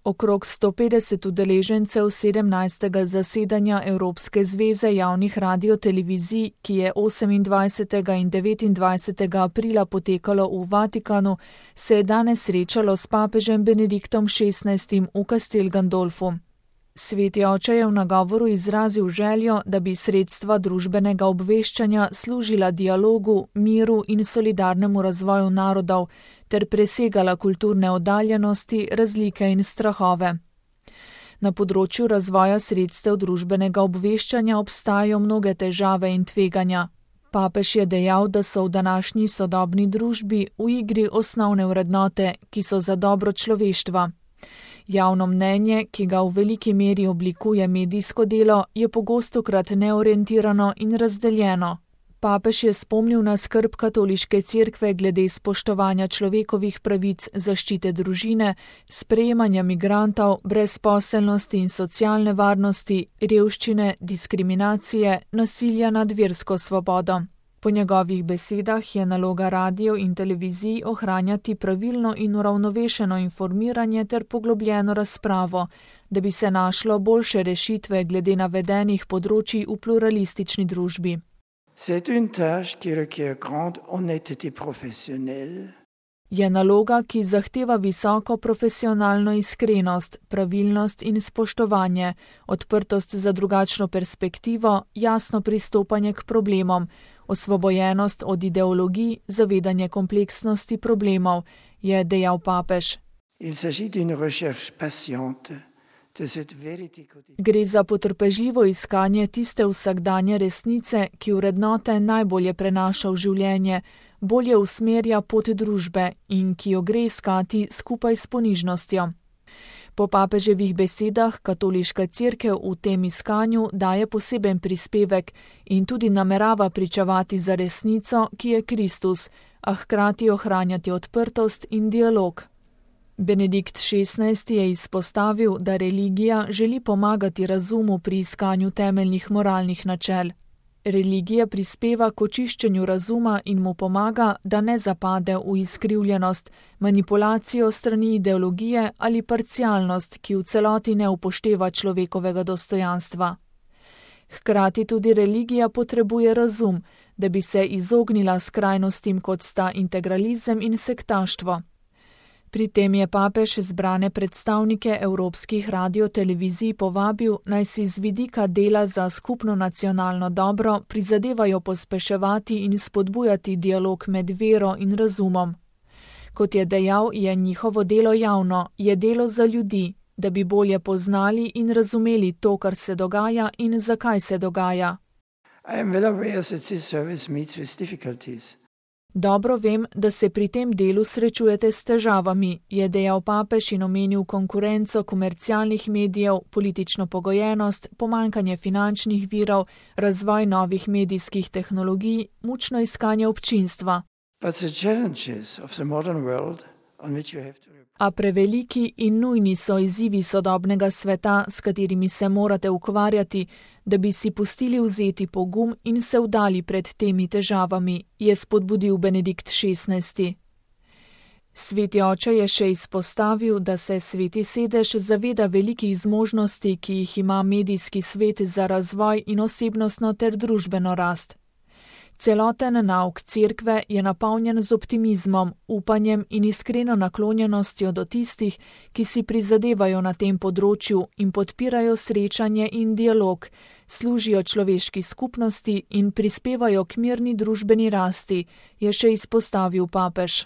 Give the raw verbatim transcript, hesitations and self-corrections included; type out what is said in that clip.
Okrog sto petdeset udeležencev sedemnajstega zasedanja Evropske zveze javnih radiotelevizij, ki je osemindvajsetega in devetindvajsetega aprila potekalo v Vatikanu, se je danes srečalo s papežem Benediktom šestnajstim v Castel Gandolfu. Sveti oče je v nagovoru izrazil željo, da bi sredstva družbenega obveščanja služila dialogu, miru in solidarnemu razvoju narodov ter presegala kulturne oddaljenosti, razlike in strahove. Na področju razvoja sredstev družbenega obveščanja obstajajo mnoge težave in tveganja. Papež je dejal, da so v današnji sodobni družbi v igri osnovne vrednote, ki so za dobro človeštva. Javno mnenje, ki ga v veliki meri oblikuje medijsko delo, je pogostokrat neorientirano in razdeljeno. Papež je spomnil na skrb katoliške cerkve glede spoštovanja človekovih pravic, zaščite družine, sprejemanja migrantov, brezposelnosti in socialne varnosti, revščine, diskriminacije, nasilja nad versko svobodo. Po njegovih besedah je naloga radijev in televizij ohranjati pravilno in uravnovešeno informiranje ter poglobljeno razpravo, da bi se našlo boljše rešitve glede navedenih področij v pluralistični družbi. C'est une tâche qui requiert grande honnêteté professionnelle. Je naloga, ki zahteva visoko profesionalno iskrenost, pravilnost in spoštovanje, odprtost za drugačno perspektivo, jasno pristopanje k problemom, osvobojenost od ideologij, zavedanje kompleksnosti problemov, je dejal papež. Il s'agit d'une recherche patiente de cette vérité quotidienne. Gre za potrpežljivo iskanje tiste vsakdanje resnice, ki vrednote najbolje prenaša v življenje, bolje usmerja pot družbe in ki jo gre iskati skupaj s ponižnostjo. Po papeževih besedah katoliška cerkev v tem iskanju daje poseben prispevek in tudi namerava pričevati za resnico, ki je Kristus, a hkrati ohranjati odprtost in dialog. Benedikt šestnajsti je izpostavil, da religija želi pomagati razumu pri iskanju temeljnih moralnih načel. Religija prispeva k očiščenju razuma in mu pomaga, da ne zapade v izkrivljenost, manipulacijo strani ideologije ali parcialnost, ki v celoti ne upošteva človekovega dostojanstva. Hkrati tudi religija potrebuje razum, da bi se izognila skrajnostim, kot sta integralizem in sektaštvo. Pri tem je papež zbrane predstavnike evropskih radiotelevizij povabil, naj si z vidika dela za skupno nacionalno dobro prizadevajo pospeševati in spodbujati dialog med vero in razumom. Kot je dejal, je njihovo delo javno, je delo za ljudi, da bi bolje poznali in razumeli to, kar se dogaja in zakaj se dogaja. I am well aware that this service meets with difficulties. Dobro vem, da se pri tem delu srečujete s težavami, je dejal papež in omenil konkurenco komercialnih medijev, politično pogojenost, pomanjkanje finančnih virov, razvoj novih medijskih tehnologij, mučno iskanje občinstva. But the challenges of the modern world on which you have to A preveliki in nujni so izzivi sodobnega sveta, s katerimi se morate ukvarjati, da bi si pustili vzeti pogum in se vdali pred temi težavami, je spodbudil Benedikt šestnajsti. Sveti oče je še izpostavil, da se Sveti sedež zaveda velikih zmožnosti, ki jih ima medijski svet za razvoj in osebnostno ter družbeno rast. Celoten nauk cerkve je napolnjen z optimizmom, upanjem in iskreno naklonjenostjo do tistih, ki si prizadevajo na tem področju in podpirajo srečanje in dialog, služijo človeški skupnosti in prispevajo k mirni družbeni rasti, je še izpostavil papež.